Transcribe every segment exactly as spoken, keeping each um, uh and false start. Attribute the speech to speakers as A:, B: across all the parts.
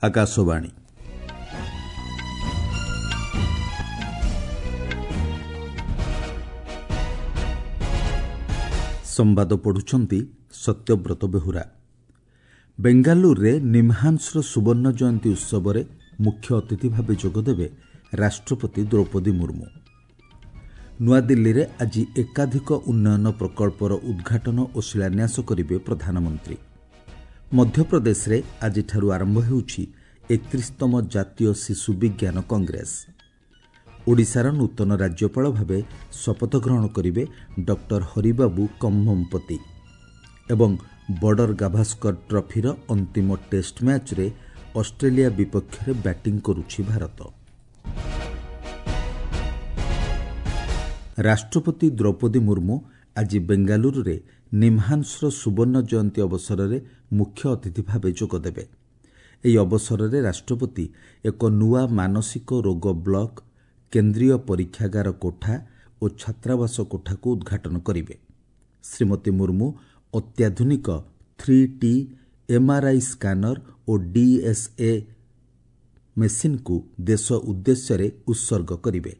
A: ଆକାଶବାଣୀ ସମ୍ବାଦ ପଢୁଛନ୍ତି ସତ୍ୟବ୍ରତ ବେହୁରା ବେଙ୍ଗାଲୁରୁରେ ନିମ୍ହାନ୍ସର ସୁବର୍ଣ୍ଣ ଜୟନ୍ତୀ ଉତ୍ସବରେ ମୁଖ୍ୟ ଅତିଥି ଭାବେ ଯୋଗଦେବେ ରାଷ୍ଟ୍ରପତି ଦ୍ରୌପଦୀ ମୁର୍ମୁ ନୂଆଦିଲ୍ଲୀରେ ଆଜି ଏକାଧିକ ଉନ୍ନୟନ ପ୍ରକଳ୍ପର ଉଦ୍ଘାଟନ ଓ ଶିଳାନ୍ୟାସ କରିବେ ପ୍ରଧାନମନ୍ତ୍ରୀ ମଧ୍ୟପ୍ରଦେଶରେ ଆଜିଠାରୁ ଆରମ୍ଭ ହେଉଛି ଏକତିରିଶତମ ଜାତୀୟ ଶିଶୁ ବିଜ୍ଞାନ କଂଗ୍ରେସ ଓଡ଼ିଶାର ନୂତନ ରାଜ୍ୟପାଳ ଭାବେ ଶପଥ ଗ୍ରହଣ କରିବେ ଡକ୍ଟର ହରିବାବୁ କମ୍ଭମପତି ଏବଂ ବର୍ଡର ଗାଭାସ୍କର ଟ୍ରଫିର ଅନ୍ତିମ ଟେଷ୍ଟ ମ୍ୟାଚ୍ରେ ଅଷ୍ଟ୍ରେଲିଆ ବିପକ୍ଷରେ ବ୍ୟାଟିଂ କରୁଛି ଭାରତ ରାଷ୍ଟ୍ରପତି ଦ୍ରୌପଦୀ ମୁର୍ମୁ ଆଜି ବେଙ୍ଗାଲୁରୁରେ ନିମ୍ହାନ୍ସର ସୁବର୍ଣ୍ଣ ଜୟନ୍ତୀ ଅବସରରେ ମୁଖ୍ୟ ଅତିଥି ଭାବେ ଯୋଗଦେବେ ଏହି ଅବସରରେ ରାଷ୍ଟ୍ରପତି ଏକ ନୂଆ ମାନସିକ ରୋଗ ବ୍ଲକ କେନ୍ଦ୍ରୀୟ ପରୀକ୍ଷାଗାର କୋଠା ଓ ଛାତ୍ରାବାସ କୋଠାକୁ ଉଦ୍ଘାଟନ କରିବେ ଶ୍ରୀମତୀ ମୁର୍ମୁ ଅତ୍ୟାଧୁନିକ ଥ୍ରୀ ଟି ଏମ୍ଆର୍ଆଇ ସ୍କାନର ଓ ଡିଏସ୍ଏ ମେସିନ୍କୁ ଦେଶ ଉଦ୍ଦେଶ୍ୟରେ ଉତ୍ସର୍ଗ କରିବେ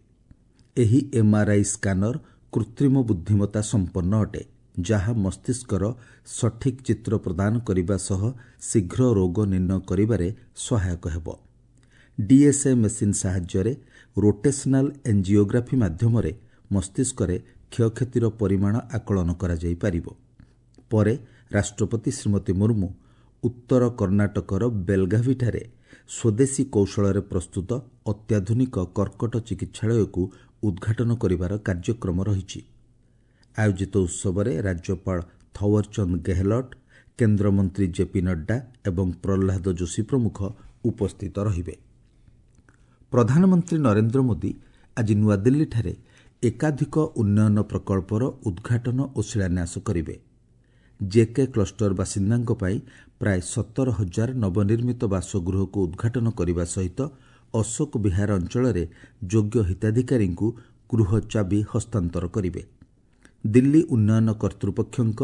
A: ଏହି ଏମ୍ଆର୍ଆଇ ସ୍କାନର କୃତ୍ରିମ ବୁଦ୍ଧିମତ୍ତା ସମ୍ପନ୍ନ ଅଟେ ଯାହା ମସ୍ତିଷ୍କର ସଠିକ୍ ଚିତ୍ର ପ୍ରଦାନ କରିବା ସହ ଶୀଘ୍ର ରୋଗ ନିର୍ଣ୍ଣୟ କରିବାରେ ସହାୟକ ହେବ ଡିଏସ୍ଏ ମେସିନ୍ ସାହାଯ୍ୟରେ ରୋଟେସନାଲ୍ ଏଞ୍ଜିଓଗ୍ରାଫି ମାଧ୍ୟମରେ ମସ୍ତିଷ୍କରେ କ୍ଷୟକ୍ଷତିର ପରିମାଣ ଆକଳନ କରାଯାଇପାରିବ ପରେ ରାଷ୍ଟ୍ରପତି ଶ୍ରୀମତୀ ମୁର୍ମୁ ଉତ୍ତର କର୍ଣ୍ଣାଟକର ବେଲଗାଭିଠାରେ ସ୍ୱଦେଶୀ କୌଶଳରେ ପ୍ରସ୍ତୁତ ଅତ୍ୟାଧୁନିକ କର୍କଟ ଚିକିତ୍ସାଳୟକୁ ଉଦ୍ଘାଟନ କରିବାର କାର୍ଯ୍ୟକ୍ରମ ରହିଛି ଆୟୋଜିତ ଉତ୍ସବରେ ରାଜ୍ୟପାଳ ଥୱରଚନ୍ଦ ଗେହଲଟ କେନ୍ଦ୍ରମନ୍ତ୍ରୀ ଜେପି ନଡ୍ଡା ଏବଂ ପ୍ରହ୍ଲାଦ ଯୋଶୀ ପ୍ରମୁଖ ଉପସ୍ଥିତ ରହିବେ ପ୍ରଧାନମନ୍ତ୍ରୀ ନରେନ୍ଦ୍ର ମୋଦି ଆଜି ନୂଆଦିଲ୍ଲୀଠାରେ ଏକାଧିକ ଉନ୍ନୟନ ପ୍ରକଳ୍ପର ଉଦ୍ଘାଟନ ଓ ଶିଳାନ୍ୟାସ କରିବେ ଜେକେ କ୍ଲଷ୍ଟର ବାସିନ୍ଦାଙ୍କ ପାଇଁ ପ୍ରାୟ ସତର ହଜାର ନବନିର୍ମିତ ବାସଗୃହକୁ ଉଦ୍ଘାଟନ କରିବା ସହିତ ଅଶୋକ ବିହାର ଅଞ୍ଚଳରେ ଯୋଗ୍ୟ ହିତାଧିକାରୀଙ୍କୁ ଗୃହ ଚାବି ହସ୍ତାନ୍ତର କରିବେ ଦିଲ୍ଲୀ ଉନ୍ନୟନ କର୍ତ୍ତୃପକ୍ଷଙ୍କ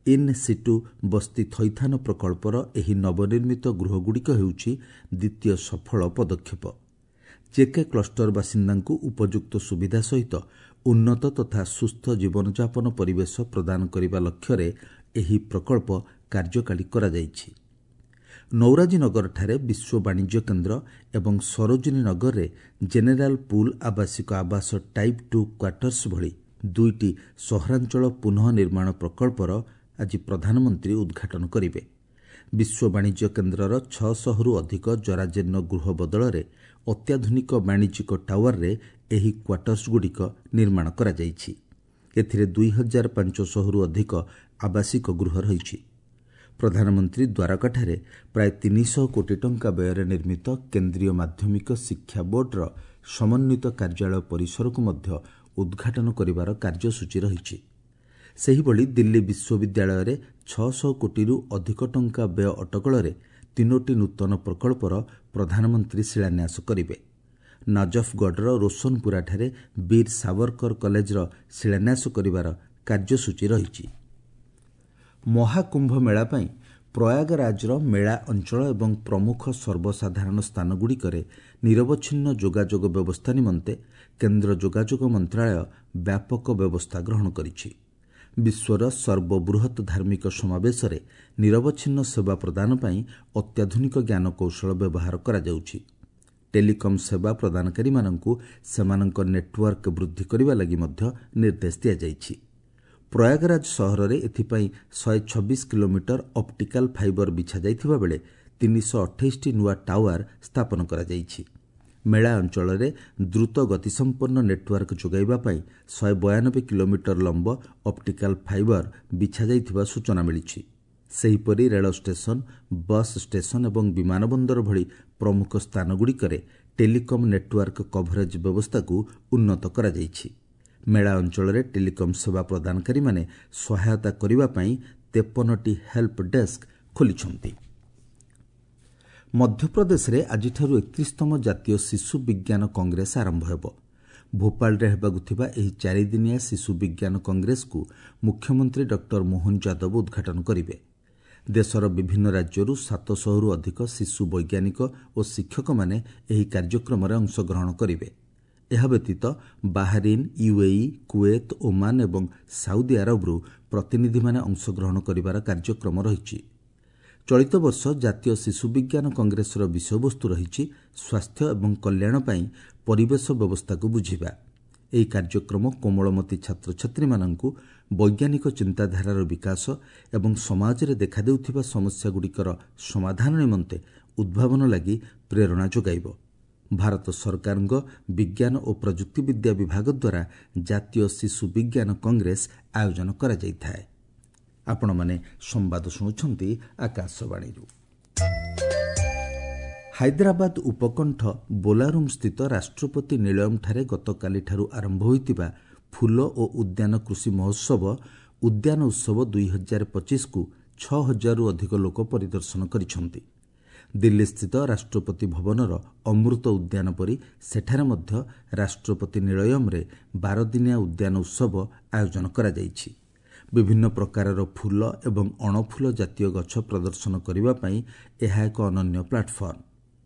A: ଇନ୍ ସିଟୁ ବସ୍ତି ଥଇଥାନ ପ୍ରକଳ୍ପର ଏହି ନବନିର୍ମିତ ଗୃହଗୁଡ଼ିକ ହେଉଛି ଦ୍ୱିତୀୟ ସଫଳ ପଦକ୍ଷେପ ଜେକେ କ୍ଲଷ୍ଟର ବାସିନ୍ଦାଙ୍କୁ ଉପଯୁକ୍ତ ସୁବିଧା ସହିତ ଉନ୍ନତ ତଥା ସୁସ୍ଥ ଜୀବନଯାପନ ପରିବେଶ ପ୍ରଦାନ କରିବା ଲକ୍ଷ୍ୟରେ ଏହି ପ୍ରକଳ୍ପ କାର୍ଯ୍ୟକାରୀ କରାଯାଇଛି ନୌରାଜୀନଗରଠାରେ ବିଶ୍ୱ ବାଣିଜ୍ୟ କେନ୍ଦ୍ର ଏବଂ ସରୋଜିନୀ ନଗରରେ ଜେନେରାଲ ପୁଲ୍ ଆବାସିକ ଆବାସ ଟାଇପ୍ ଟୁ କ୍ୱାର୍ଟର୍ସ ଭଳି ଦୁଇଟି ସହରାଞ୍ଚଳ ପୁନଃ ନିର୍ମାଣ ପ୍ରକଳ୍ପର ଆଜି ପ୍ରଧାନମନ୍ତ୍ରୀ ଉଦ୍ଘାଟନ କରିବେ ବିଶ୍ୱ ବାଣିଜ୍ୟ କେନ୍ଦ୍ରର ଛଅଶହରୁ ଅଧିକ ଜରାଜୀର୍ଣ୍ଣ ଗୃହ ବଦଳରେ ଅତ୍ୟାଧୁନିକ ବାଣିଜ୍ୟିକ ଟାୱାରରେ ଏହି କ୍ୱାର୍ଟର୍ସଗୁଡ଼ିକ ନିର୍ମାଣ କରାଯାଇଛି ଏଥିରେ ଦୁଇ ହଜାର ପାଞ୍ଚଶହରୁ ଅଧିକ ଆବାସିକ ଗୃହ ରହିଛି ପ୍ରଧାନମନ୍ତ୍ରୀ ଦ୍ୱାରକାଠାରେ ପ୍ରାୟ ତିନିଶହ କୋଟି ଟଙ୍କା ବ୍ୟୟରେ ନିର୍ମିତ କେନ୍ଦ୍ରୀୟ ମାଧ୍ୟମିକ ଶିକ୍ଷା ବୋର୍ଡର ସମନ୍ୱିତ କାର୍ଯ୍ୟାଳୟ ପରିସରକୁ ମଧ୍ୟ ଉଦ୍ଘାଟନ କରିବାର କାର୍ଯ୍ୟସୂଚୀ ରହିଛି ସେହିଭଳି ଦିଲ୍ଲୀ ବିଶ୍ୱବିଦ୍ୟାଳୟରେ ଛଅଶହ କୋଟିରୁ ଅଧିକ ଟଙ୍କା ବ୍ୟୟ ଅଟକଳରେ ତିନୋଟି ନୂତନ ପ୍ରକଳ୍ପର ପ୍ରଧାନମନ୍ତ୍ରୀ ଶିଳାନ୍ୟାସ କରିବେ ନଜଫଗଡ଼ର ରୋଶନପୁରାଠାରେ ବୀର ସାବରକର କଲେଜର ଶିଳାନ୍ୟାସ କରିବାର କାର୍ଯ୍ୟସୂଚୀ ରହିଛି ମହାକୁମ୍ଭ ମେଳା ପାଇଁ ପ୍ରୟାଗରାଜର ମେଳା ଅଞ୍ଚଳ ଏବଂ ପ୍ରମୁଖ ସର୍ବସାଧାରଣ ସ୍ଥାନଗୁଡ଼ିକରେ ନିରବଚ୍ଛିନ୍ନ ଯୋଗାଯୋଗ ବ୍ୟବସ୍ଥା ନିମନ୍ତେ କେନ୍ଦ୍ର ଯୋଗାଯୋଗ ମନ୍ତ୍ରଣାଳୟ ବ୍ୟାପକ ବ୍ୟବସ୍ଥା ଗ୍ରହଣ କରିଛି ବିଶ୍ୱର ସର୍ବବୃହତ୍ ଧାର୍ମିକ ସମାବେଶରେ ନିରବଚ୍ଛିନ୍ନ ସେବା ପ୍ରଦାନ ପାଇଁ ଅତ୍ୟାଧୁନିକ ଜ୍ଞାନକୌଶଳ ବ୍ୟବହାର କରାଯାଉଛି ଟେଲିକମ୍ ସେବା ପ୍ରଦାନକାରୀମାନଙ୍କୁ ସେମାନଙ୍କ ନେଟୱାର୍କ ବୃଦ୍ଧି କରିବା ଲାଗି ମଧ୍ୟ ନିର୍ଦ୍ଦେଶ ଦିଆଯାଇଛି ପ୍ରୟାଗରାଜ ସହରରେ ଏଥିପାଇଁ ଶହେ ଛବିଶ କିଲୋମିଟର ଅପ୍ଟିକାଲ ଫାଇବର ବିଛାଯାଇଥିବା ବେଳେ ତିନିଶହ ଅଠେଇଶଟି ନୂଆ ଟାୱାର ସ୍ଥାପନ କରାଯାଇଛି ମେଳା ଅଞ୍ଚଳରେ ଦ୍ରୁତ ଗତିସମ୍ପନ୍ନ ନେଟୱାର୍କ ଯୋଗାଇବା ପାଇଁ ଶହେ ବୟାନବେ କିଲୋମିଟର ଲମ୍ବ ଅପ୍ଟିକାଲ ଫାଇବର ବିଛାଯାଇଥିବା ସୂଚନା ମିଳିଛି ସେହିପରି ରେଳ ଷ୍ଟେସନ ବସ୍ ଷ୍ଟେସନ ଏବଂ ବିମାନ ବନ୍ଦର ଭଳି ପ୍ରମୁଖ ସ୍ଥାନଗୁଡ଼ିକରେ ଟେଲିକମ୍ ନେଟୱାର୍କ କଭରେଜ ବ୍ୟବସ୍ଥାକୁ ଉନ୍ନତ କରାଯାଇଛି ମେଳା ଅଞ୍ଚଳରେ ଟେଲିକମ୍ ସେବା ପ୍ରଦାନକାରୀମାନେ ସହାୟତା କରିବା ପାଇଁ ତେପନଟି ହେଲ୍ପ ଡେସ୍କ ଖୋଲିଛନ୍ତି ମଧ୍ୟପ୍ରଦେଶରେ ଆଜିଠାରୁ ଏକତିରିଶତମ ଜାତୀୟ ଶିଶୁ ବିଜ୍ଞାନ କଂଗ୍ରେସ ଆରମ୍ଭ ହେବ ଭୋପାଳରେ ହେବାକୁ ଥିବା ଏହି ଚାରିଦିନିଆ ଶିଶୁ ବିଜ୍ଞାନ କଂଗ୍ରେସକୁ ମୁଖ୍ୟମନ୍ତ୍ରୀ ଡକ୍ଟର ମୋହନ ଯାଦବ ଉଦ୍ଘାଟନ କରିବେ ଦେଶର ବିଭିନ୍ନ ରାଜ୍ୟରୁ ସାତଶହରୁ ଅଧିକ ଶିଶୁ ବୈଜ୍ଞାନିକ ଓ ଶିକ୍ଷକମାନେ ଏହି କାର୍ଯ୍ୟକ୍ରମରେ ଅଂଶଗ୍ରହଣ କରିବେ। ଏହା ବ୍ୟତୀତ ବାହାରିନ୍, ୟୁଏଇ, କୁଏତ, ଓମାନ ଏବଂ ସାଉଦି ଆରବରୁ ପ୍ରତିନିଧିମାନେ ଅଂଶଗ୍ରହଣ କରିବାର କାର୍ଯ୍ୟକ୍ରମ ରହିଛି। ଚଳିତ ବର୍ଷ ଜାତୀୟ ଶିଶୁ ବିଜ୍ଞାନ କଂଗ୍ରେସର ବିଷୟବସ୍ତୁ ରହିଛି ସ୍ୱାସ୍ଥ୍ୟ ଏବଂ କଲ୍ୟାଣ ପାଇଁ ପରିବେଶ ବ୍ୟବସ୍ଥାକୁ ବୁଝିବା। ଏହି କାର୍ଯ୍ୟକ୍ରମ କୋମଳମତି ଛାତ୍ରଛାତ୍ରୀମାନଙ୍କୁ ବୈଜ୍ଞାନିକ ଚିନ୍ତାଧାରାର ବିକାଶ ଏବଂ ସମାଜରେ ଦେଖାଦେଉଥିବା ସମସ୍ୟାଗୁଡ଼ିକର ସମାଧାନ ନିମନ୍ତେ ଉଦ୍ଭାବନ ଲାଗି ପ୍ରେରଣା ଯୋଗାଇବ। ଭାରତ ସରକାରଙ୍କ ବିଜ୍ଞାନ ଓ ପ୍ରଯୁକ୍ତିବିଦ୍ୟା ବିଭାଗ ଦ୍ୱାରା ଜାତୀୟ ଶିଶୁ ବିଜ୍ଞାନ କଂଗ୍ରେସ ଆୟୋଜନ କରାଯାଇଥାଏ। ଆପଣମାନେ ସମ୍ବାଦ ଶୁଣୁଛନ୍ତି ଆକାଶବାଣୀରୁ। ହାଇଦ୍ରାବାଦ ଉପକଣ୍ଠ ବୋଲାରୁମ୍ ସ୍ଥିତ ରାଷ୍ଟ୍ରପତି ନିଳୟମ୍ଠାରେ ଗତକାଲିଠାରୁ ଆରମ୍ଭ ହୋଇଥିବା ଫୁଲ ଓ ଉଦ୍ୟାନ କୃଷି ମହୋତ୍ସବ ଉଦ୍ୟାନ ଉତ୍ସବ ଦୁଇ ହଜାର ପଚିଶକୁ ଛଅ ହଜାରରୁ ଅଧିକ ଲୋକ ପରିଦର୍ଶନ କରିଛନ୍ତି। ଦିଲ୍ଲୀସ୍ଥିତ ରାଷ୍ଟ୍ରପତି ଭବନର ଅମୃତ ଉଦ୍ୟାନ ପରି ସେଠାରେ ମଧ୍ୟ ରାଷ୍ଟ୍ରପତି ନିଳୟମ୍ରେ ବାରଦିନିଆ ଉଦ୍ୟାନ ଉତ୍ସବ ଆୟୋଜନ କରାଯାଇଛି। ବିଭିନ୍ନ ପ୍ରକାରର ଫୁଲ ଏବଂ ଅଣଫୁଲ ଜାତୀୟ ଗଛ ପ୍ରଦର୍ଶନ କରିବା ପାଇଁ ଏହା ଏକ ଅନନ୍ୟ ପ୍ଲାଟଫର୍ମ।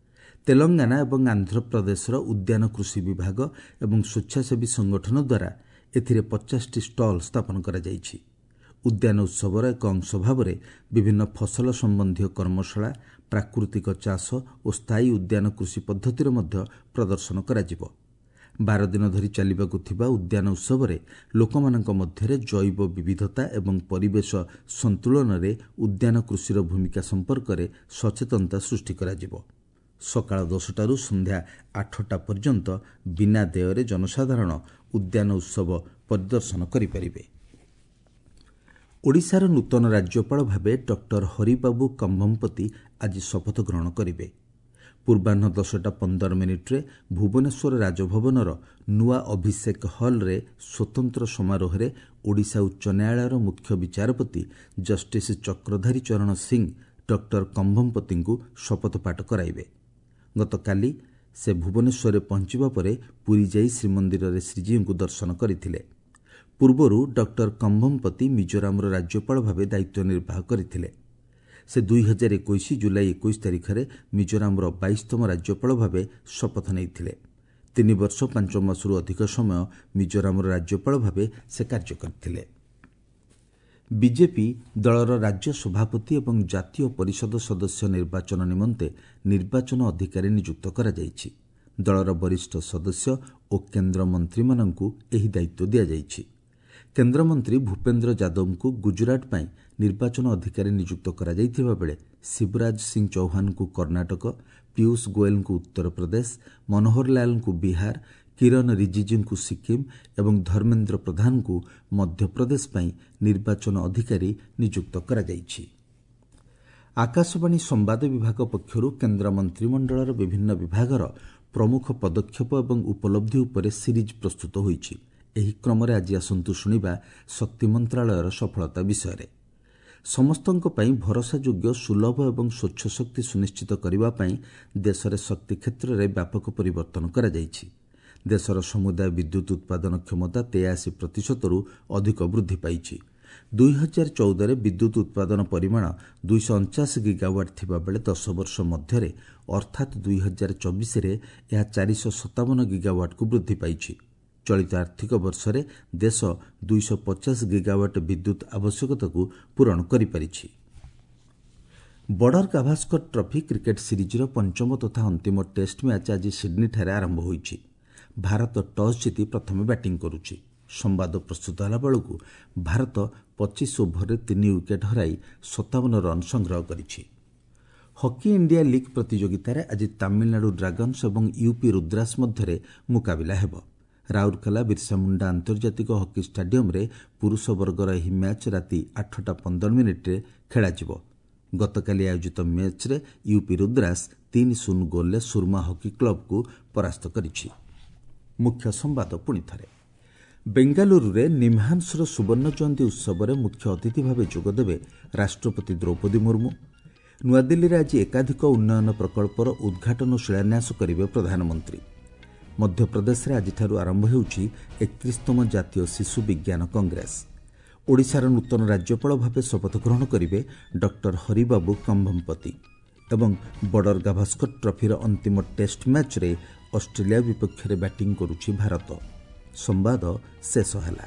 A: ତେଲଙ୍ଗାନା ଏବଂ ଆନ୍ଧ୍ରପ୍ରଦେଶର ଉଦ୍ୟାନ କୃଷି ବିଭାଗ ଏବଂ ସ୍ୱେଚ୍ଛାସେବୀ ସଂଗଠନ ଦ୍ୱାରା ଏଥିରେ ପଚାଶଟି ଷ୍ଟଲ୍ ସ୍ଥାପନ କରାଯାଇଛି। ଉଦ୍ୟାନ ଉତ୍ସବର ଏକ ଅଂଶ ଭାବରେ ବିଭିନ୍ନ ଫସଲ ସମ୍ବନ୍ଧୀୟ କର୍ମଶାଳା, ପ୍ରାକୃତିକ ଚାଷ ଓ ସ୍ଥାୟୀ ଉଦ୍ୟାନ କୃଷି ପଦ୍ଧତିର ମଧ୍ୟ ପ୍ରଦର୍ଶନ କରାଯିବ। ବାର ଦିନ ଧରି ଚାଲିବାକୁ ଥିବା ଉଦ୍ୟାନ ଉତ୍ସବରେ ଲୋକମାନଙ୍କ ମଧ୍ୟରେ ଜୈବ ବିବିଧତା ଏବଂ ପରିବେଶ ସନ୍ତୁଳନରେ ଉଦ୍ୟାନ କୃଷିର ଭୂମିକା ସମ୍ପର୍କରେ ସଚେତନତା ସୃଷ୍ଟି କରାଯିବ। ସକାଳ ଦଶଟାରୁ ସନ୍ଧ୍ୟା ଆଠଟା ପର୍ଯ୍ୟନ୍ତ ବିନା ଦେୟରେ ଜନସାଧାରଣ ଉଦ୍ୟାନ ଉତ୍ସବ ପରିଦର୍ଶନ କରିପାରିବେ। ଓଡ଼ିଶାର ନୂତନ ରାଜ୍ୟପାଳ ଭାବେ ଡକ୍ଟର ହରିବାବୁ କମ୍ଭମପତି ଆଜି ଶପଥ ଗ୍ରହଣ କରିବେ। ପୂର୍ବାହ୍ନ ଦଶଟା ପନ୍ଦର ମିନିଟ୍ରେ ଭୁବନେଶ୍ୱର ରାଜଭବନର ନୂଆ ଅଭିଷେକ ହଲ୍ରେ ସ୍ୱତନ୍ତ୍ର ସମାରୋହରେ ଓଡ଼ିଶା ଉଚ୍ଚ ନ୍ୟାୟାଳୟର ମୁଖ୍ୟ ବିଚାରପତି ଜଷ୍ଟିସ୍ ଚକ୍ରଧାରୀ ଚରଣ ସିଂ ଡକ୍ଟର କମ୍ଭମପତିଙ୍କୁ ଶପଥପାଠ କରାଇବେ। ଗତକାଲି ସେ ଭୁବନେଶ୍ୱରରେ ପହଞ୍ଚିବା ପରେ ପୁରୀ ଯାଇ ଶ୍ରୀମନ୍ଦିରରେ ଶ୍ରୀଜୀଉଙ୍କୁ ଦର୍ଶନ କରିଥିଲେ। ପୂର୍ବରୁ ଡକ୍ଟର କମ୍ଭମପତି ମିଜୋରାମର ରାଜ୍ୟପାଳ ଭାବେ ଦାୟିତ୍ୱ ନିର୍ବାହ କରିଥିଲେ। ସେ ଦୁଇ ହଜାର ଏକୋଇଶ ଜୁଲାଇ ଏକୋଇଶ ତାରିଖରେ ମିଜୋରାମର ବାଇଶତମ ରାଜ୍ୟପାଳ ଭାବେ ଶପଥ ନେଇଥିଲେ। ତିନି ବର୍ଷ ପାଞ୍ଚ ମାସରୁ ଅଧିକ ସମୟ ମିଜୋରାମର ରାଜ୍ୟପାଳ ଭାବେ ସେ କାର୍ଯ୍ୟ କରିଥିଲେ। ବିଜେପି ଦଳର ରାଜ୍ୟ ସଭାପତି ଏବଂ ଜାତୀୟ ପରିଷଦ ସଦସ୍ୟ ନିର୍ବାଚନ ନିମନ୍ତେ ନିର୍ବାଚନ ଅଧିକାରୀ ନିଯୁକ୍ତ କରାଯାଇଛି। ଦଳର ବରିଷ୍ଠ ସଦସ୍ୟ ଓ କେନ୍ଦ୍ରମନ୍ତ୍ରୀମାନଙ୍କୁ ଏହି ଦାୟିତ୍ୱ ଦିଆଯାଇଛି। କେନ୍ଦ୍ରମନ୍ତ୍ରୀ ଭୂପେନ୍ଦ୍ର ଯାଦବଙ୍କୁ ଗୁଜରାଟ ପାଇଁ ନିର୍ବାଚନ ଅଧିକାରୀ ନିଯୁକ୍ତ କରାଯାଇଥିବା ବେଳେ ଶିବରାଜ ସିଂ ଚୌହାନଙ୍କୁ କର୍ଣ୍ଣାଟକ, ପୀୟୁଷ ଗୋଏଲଙ୍କୁ ଉତ୍ତରପ୍ରଦେଶ, ମନୋହରଲାଲଙ୍କୁ ବିହାର, କିରଣ ରିଜିଜୁଙ୍କୁ ସିକିମ୍ ଏବଂ ଧର୍ମେନ୍ଦ୍ର ପ୍ରଧାନଙ୍କୁ ମଧ୍ୟପ୍ରଦେଶ ପାଇଁ ନିର୍ବାଚନ ଅଧିକାରୀ ନିଯୁକ୍ତ କରାଯାଇଛି। ଆକାଶବାଣୀ ସମ୍ବାଦ ବିଭାଗ ପକ୍ଷରୁ କେନ୍ଦ୍ର ମନ୍ତ୍ରିମଣ୍ଡଳର ବିଭିନ୍ନ ବିଭାଗର ପ୍ରମୁଖ ପଦକ୍ଷେପ ଏବଂ ଉପଲବ୍ଧି ଉପରେ ସିରିଜ୍ ପ୍ରସ୍ତୁତ ହୋଇଛି। ଏହି କ୍ରମରେ ଆଜି ଆସନ୍ତୁ ଶୁଣିବା ଶକ୍ତି ମନ୍ତ୍ରାଳୟର ସଫଳତା ବିଷୟରେ। ସମସ୍ତଙ୍କ ପାଇଁ ଭରସାଯୋଗ୍ୟ, ସୁଲଭ ଏବଂ ସ୍ୱଚ୍ଛ ଶକ୍ତି ସୁନିଶ୍ଚିତ କରିବା ପାଇଁ ଦେଶରେ ଶକ୍ତି କ୍ଷେତ୍ରରେ ବ୍ୟାପକ ପରିବର୍ତ୍ତନ କରାଯାଇଛି। ଦେଶର ସମୁଦାୟ ବିଦ୍ୟୁତ୍ ଉତ୍ପାଦନ କ୍ଷମତା ତେୟାଅଶୀ ପ୍ରତିଶତରୁ ଅଧିକ ବୃଦ୍ଧି ପାଇଛି। ଦୁଇ ହଜାର ଚଉଦରେ ବିଦ୍ୟୁତ୍ ଉତ୍ପାଦନ ପରିମାଣ ଦୁଇଶହ ଅଣଚାଶ ଗିଗାୱାଟ୍ ଥିବାବେଳେ ଦଶ ବର୍ଷ ମଧ୍ୟରେ ଅର୍ଥାତ୍ ଦୁଇ ହଜାର ଚବିଶରେ ଏହା ଚାରିଶହ ସତାବନ ଗିଗାୱାଟ୍କୁ ବୃଦ୍ଧି ପାଇଛି। ଚଳିତ ଆର୍ଥିକ ବର୍ଷରେ ଦେଶ ଦୁଇଶହ ପଚାଶ ଗିଗାୱାଟ୍ ବିଦ୍ୟୁତ୍ ଆବଶ୍ୟକତାକୁ ପୂରଣ କରିପାରିଛି। ବର୍ଡର ଗାଭାସ୍କର ଟ୍ରଫି କ୍ରିକେଟ୍ ସିରିଜ୍ର ପଞ୍ଚମ ତଥା ଅନ୍ତିମ ଟେଷ୍ଟ ମ୍ୟାଚ୍ ଆଜି ସିଡ୍ନୀଠାରେ ଆରମ୍ଭ ହୋଇଛି। ଭାରତ ଟସ୍ ଜିତି ପ୍ରଥମେ ବ୍ୟାଟିଂ କରୁଛି। ସମ୍ବାଦ ପ୍ରସ୍ତୁତ ହେଲା ବେଳକୁ ଭାରତ ପଚିଶ ଓଭରରେ ତିନି ୱିକେଟ୍ ହରାଇ ସତାବନ ରନ୍ ସଂଗ୍ରହ କରିଛି। ହକି ଇଣ୍ଡିଆ ଲିଗ୍ ପ୍ରତିଯୋଗିତାରେ ଆଜି ତାମିଲନାଡୁ ଡ୍ରାଗନ୍ସ ଏବଂ ୟୁପି ରୁଦ୍ରାସ ମଧ୍ୟରେ ମୁକାବିଲା ହେବ। ରାଉରକେଲା ବିର୍ସା ମୁଣ୍ଡା ଆନ୍ତର୍ଜାତିକ ହକି ଷ୍ଟାଡିୟମ୍ରେ ପୁରୁଷ ବର୍ଗର ଏହି ମ୍ୟାଚ୍ ରାତି ଆଠଟା ପନ୍ଦର ମିନିଟ୍ରେ ଖେଳାଯିବ। ଗତକାଲି ଆୟୋଜିତ ମ୍ୟାଚ୍ରେ ୟୁପି ରୁଦ୍ରାସ ତିନି ଶୂନ ଗୋଲ୍ରେ ସୁରମା ହକି କ୍ଲବକୁ ପରାସ୍ତ କରିଛି। ମୁଖ୍ୟ ସମ୍ବାଦ ପୁଣି ଥରେ। ବେଙ୍ଗାଲୁରୁରେ ନିମ୍ହାନ୍ସର ସୁବର୍ଣ୍ଣ ଜୟନ୍ତୀ ଉତ୍ସବରେ ମୁଖ୍ୟ ଅତିଥି ଭାବେ ଯୋଗଦେବେ ରାଷ୍ଟ୍ରପତି ଦ୍ରୌପଦୀ ମୁର୍ମୁ। ନୂଆଦିଲ୍ଲୀରେ ଆଜି ଏକାଧିକ ଉନ୍ନୟନ ପ୍ରକଳ୍ପର ଉଦ୍ଘାଟନ ଓ ଶିଳାନ୍ୟାସ କରିବେ ପ୍ରଧାନମନ୍ତ୍ରୀ। ମଧ୍ୟପ୍ରଦେଶରେ ଆଜିଠାରୁ ଆରମ୍ଭ ହେଉଛି ଏକତିରିଶତମ ଜାତୀୟ ଶିଶୁ ବିଜ୍ଞାନ କଂଗ୍ରେସ। ଓଡ଼ିଶାର ନୂତନ ରାଜ୍ୟପାଳ ଭାବେ ଶପଥ ଗ୍ରହଣ କରିବେ ଡକ୍ଟର ହରିବାବୁ କମ୍ଭମପତି ଏବଂ ବର୍ଡର ଗାଭାସ୍କର ଟ୍ରଫିର ଅନ୍ତିମ ଟେଷ୍ଟ ମ୍ୟାଚ୍ରେ ଅଷ୍ଟ୍ରେଲିଆ ବିପକ୍ଷରେ ବ୍ୟାଟିଂ କରୁଛି ଭାରତ। ସମ୍ବାଦ ଶେଷ ହେଲା।